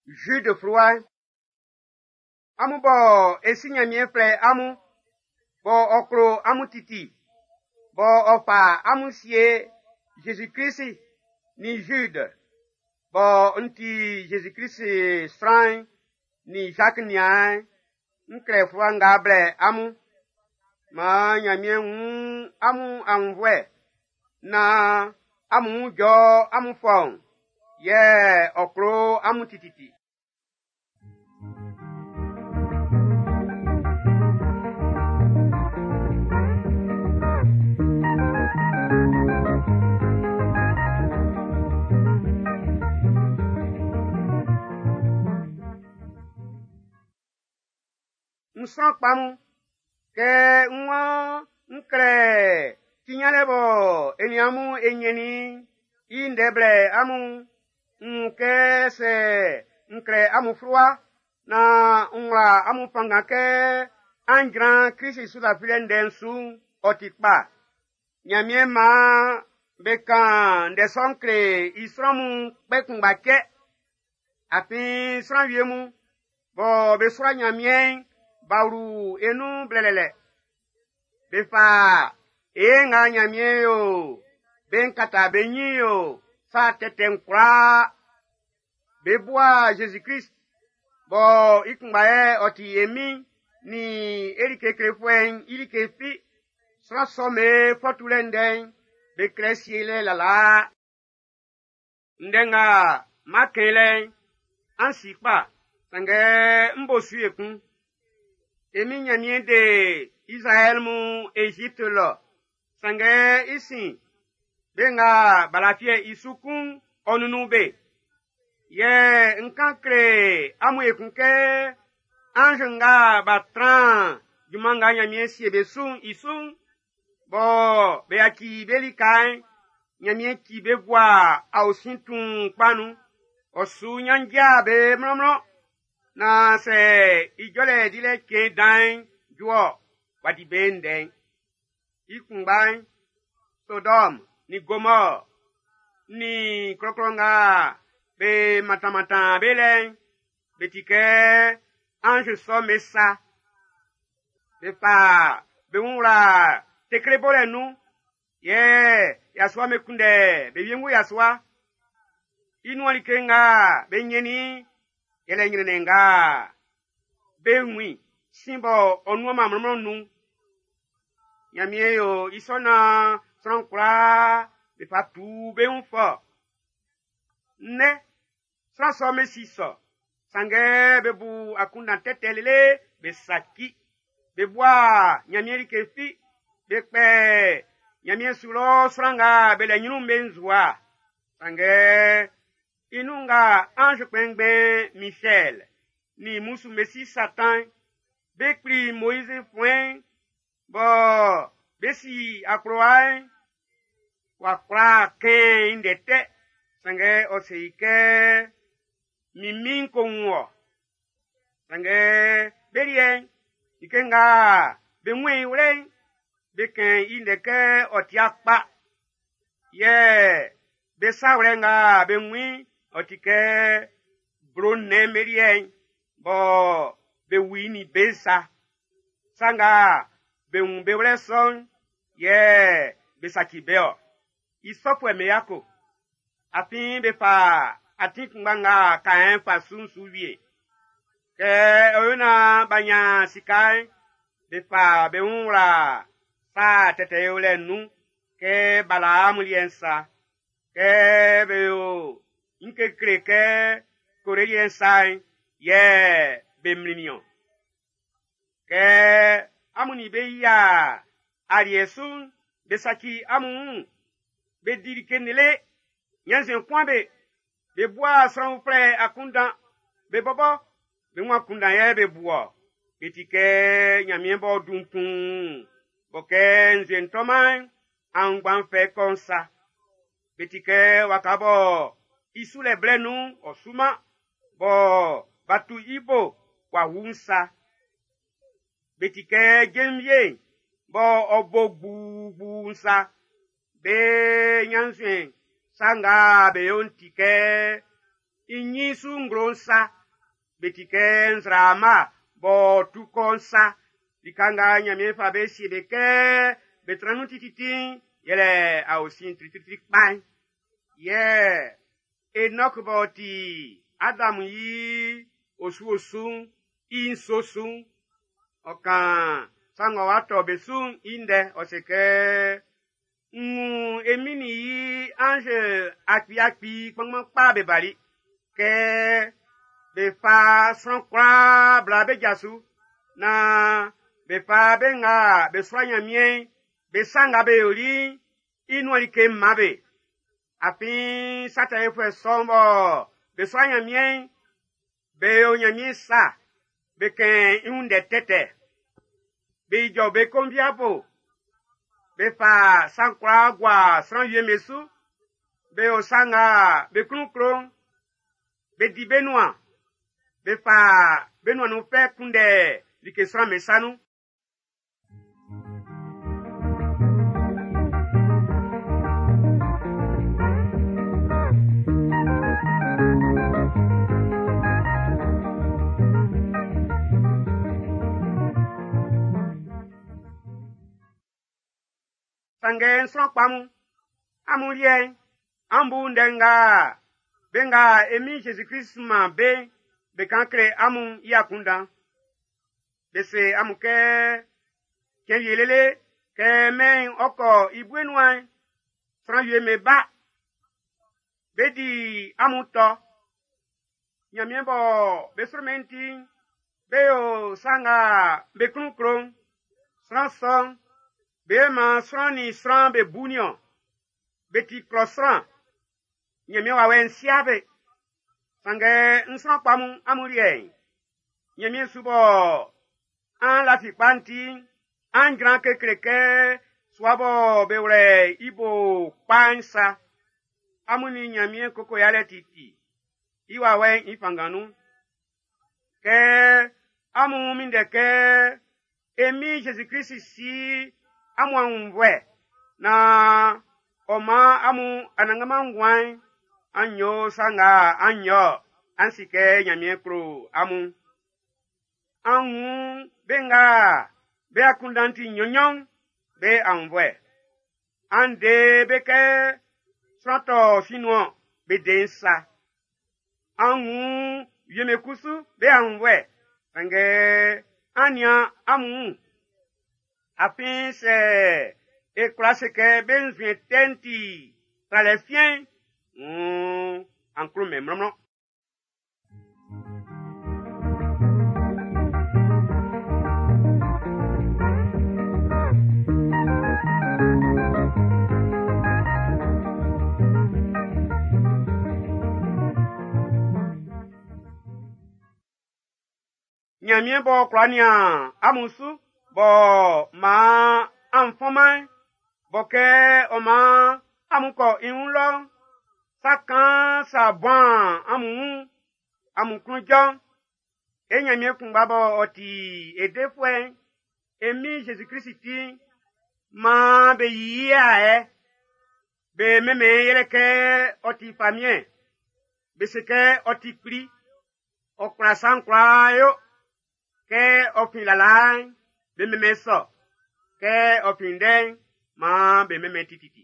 Jude fluwa'n. Amun bɔ e Si Nyanmiɛn flɛ amun, bɔ ɔ klo amun titi, bɔ ɔ fa amun sie Jésus-Krist nin Jude, bɔ n ti Jésus-Krist sran'n nin Jacques niaan'n, n klɛ fluwa nga blɛ amun. Maan Nyanmiɛn wun amun aunnvuɛ naan amun wun jɔ amun fɔun, yɛ ɔ klo amun tititi. N sran kpa mun, kɛ n waan n klɛ ti nyanlɛ bɔ e nin amun e nyɛnnin i ndɛ blɛ amun'n, n wun kɛ sɛ n klɛ amun fluwa naan n wla amun fanngan kɛ an jran Krist su lafilɛ ndɛ'n su'n, ɔ ti kpa. Nyanmiɛn maan be kan ndɛ sɔ'n kle i sran mun kpɛ kunngba cɛ. Afin sran wie mun bɔ be sua Nyanmiɛn'n b'a wlu e nun blɛlɛlɛ. Be fa e nga Nyanmiɛn yo be'n kata be nyin yo sa tɛtɛ'n kwlaa. Be bua Jésus-Krist bɔ i kunngba yɛ ɔ ti e Min nin e like klefuɛ'n i like fi. Sran sɔ'm be fɔ tulɛ ndɛ'n, be klɛ sielɛ lalaa. Ndɛ nga m'an kɛn i lɛ'n, an si kpa, sanngɛ m bo su ekun. E Min Nyanmiɛn de Izraɛl mun Ezipt lɔ, sanngɛ i sin, be nga b'a lafiɛ i su kun'n, ɔ nunnun be. Yɛ n kan kle amun ekun kɛ anz nga b'a tran junman nga Nyanmiɛn sie be su'n i su'n, bɔ be yaci be lika'n, Nyanmiɛn ci be gua aosin tuun kpa nun. Ɔ su nyanndja be mlɔnmlɔn, naan sɛ i jɔlɛ dilɛ cɛn dan'n ju-ɔ, w'a di be ndɛ'n. I kunngba'n, Sodɔm nin Gomɔr nin klɔklɔ nga be mantan-mantan be lɛ'n, be ti kɛ anz sɔ'm be sa. Be fa be wun wla tekle bolɛ nun, yɛ yasua'm be kunndɛ be wiengu yasua. I nuan like nga be nyɛnnin i'n, yɛlɛ nyrɛnnɛn nga be wun i sin bɔ ɔ nuan-man mlɔnmlɔn nun'n. Nyanmiɛn yo i sɔ naan sran kwlaa be fa tu be wun fɔ. Nnɛ, sran sɔ'm be si sɔ, sanngɛ be bu akunndan tɛtɛ lele be saci. Be bua Nyanmiɛn like fi, be kpɛ Nyanmiɛn su lɔ sran nga be lɛ nyrun'n be nzua. Sanngɛ i nun nga anz kpɛnngbɛn Misɛl nin mmusu'm be si Satan be kpli Moiz fuɛn'n bɔ be si akplowa'n, w'a kwla kɛn i ndɛ tɛ, sanngɛ ɔ se i kɛ, Min Min'n ko wun wɔ. Sanngɛ be liɛ'n, like nga be wun i wlɛ'n, be kɛn i ndɛ kɛ ɔ ti kpa. Yɛ be sa wlɛ nga be wun i'n, ɔ ti kɛ blo nnɛn'm be liɛ'n bɔ be wu i nin be sa. Sa nga be wun be wlɛ sɔ'n, yɛ be saci be-ɔ. I sɔfuɛ'm be yako. Afin be fa atin kunngba nga Kaɛn fa su'n su wie. Kɛ ɔ yo naan b'a nyan sika'n, be fa be wun wla sa tɛtɛ yolɛ'n nun kɛ Balaam liɛ'n sa. Kɛ be yo nyin kekle kɛ Kore liɛ'n sa'n, yɛ be mlinnin-ɔn. Kɛ amun nin be yia aliɛ su'n, be saci amun wun, be di like lele, ɲannzuɛn kun be, be bua sran uflɛ akunndan, be bɔbɔ be wun akunndan yɛ be bu-ɔ. Be ti kɛ Nyanmiɛn b'ɔ dun tuun, bɔ kɛ nzue'n tɔman'n, aunngban'n fɛ kɔ'n sa. Be ti kɛ waka bɔ i sulɛ blɛ nun'n ɔ suman, bɔ b'a tu i bo w'a wu'n sa. Be ti kɛ jenvie'n bɔ ɔ bo gbugbu'n sa. Be ɲannzuɛn sa nga be yo'n ti kɛ i ɲin su nglo'n sa. Be ti kɛ nzraama b'ɔ tu kɔ'n sa. Lika nga Ɲanmiɛn fa be sie be kɛ be tran nun tititi'n, yɛlɛ aosin tritritri kpa'n. Yɛ Enɔk b'ɔ ti Adam i osu-osu'n i nso su'n, ɔ kan sa ng'ɔ wa tɔ be su'n i ndɛ, ɔ se kɛ, N wun e Min'n i anz akpi-akpi kpanngban kpa be bali, kɛ be fa sran kwlaa bla be ja su, naan be fa be nga be sua Nyanmiɛn'n be sa nga be yoli'n i nuan like man be. Afin sa tɛ yofuɛ sɔ'n bɔ be sua Nyanmiɛn'n, be yo Nyanmiɛn sa, be kɛn i wun ndɛ tɛtɛ. Be ijɔ be konviabo, be fa sa'n kwlaa gua sran wie'm be su, be yo sa nga be klun klo'n, be di be nuan, be fa be nuan nun fɛ kunndɛ like sran'm be sa nun. Sanngɛ n sran kpa mun, amun liɛ'n, an bu ndɛ nga be nga e Min Jésus-Christ sunman be'n be kan kle amun i akunndan. Be se amun kɛ, cɛn wie lele kɛ mɛn'n ɔ kɔ i bue nuan'n, sran wie'm be ba, be di amun tɔ. Nyanmiɛn bɔ be sro-mɛn ti'n, be yo sa nga be klun klo'n. Sran sɔ'n, be man sran nin sran be bu nin-ɔn. Be ti klɔ sran. Nyanmiɛn wawɛ'n sia be. Sanngɛ n sran kpa mun amun liɛ'n, Nyanmiɛn su bɔ an lafi kpa'n ti'n, an jran kekle kɛ sua bɔ be wlɛ i bo kpa'n sa. Amun nin Nyanmiɛn koko yalɛ titi, i wawɛ'n i fanngan nun. Kɛ amun minndɛ kɛ e Min Jésus-Christ si amun aunnvuɛ naan ɔ man amun anannganman nguan'n, an yo sa nga an yo an si kɛ Nyanmiɛn klo amun. An wun be nga be akunndan ti nnyɔn-nnyɔn'n be aunnvuɛ. An de be kɛ sran tɔ sin nun-ɔn, be de'n sa. An wun wie'm be kusu be aunnvuɛ, sanngɛ an nian amun wun. Afin sɛ e kwla se kɛ be nzuɛn tɛ'n ti tralɛ fiɛn'n, wuun an klo-mɛn mlɔnmlɔn. Nyanmiɛn b'ɔ kwla nian amun su, b'ɔ man an fɔnman'n, bɔ kɛ ɔ man amun kɔ i wun lɔ'n, sa kaan sa buan amun wun, amun klun jɔ'n, e Nyanmiɛn kunngba b'ɔ ɔ ti e defuɛ'n, e Min Jésus-Christ ti'n, maan be yi i ayɛ, be mɛnmɛn yɛlɛ kɛ ɔ ti famiɛn, be se kɛ ɔ ti kpli, ɔ kwla sa'n kwlaa yo, kɛ ɔ fin lalaa'n, be mɛnmɛn sɔ, kɛ ɔ fin ndɛ'n, maan be mɛnmɛn tititi.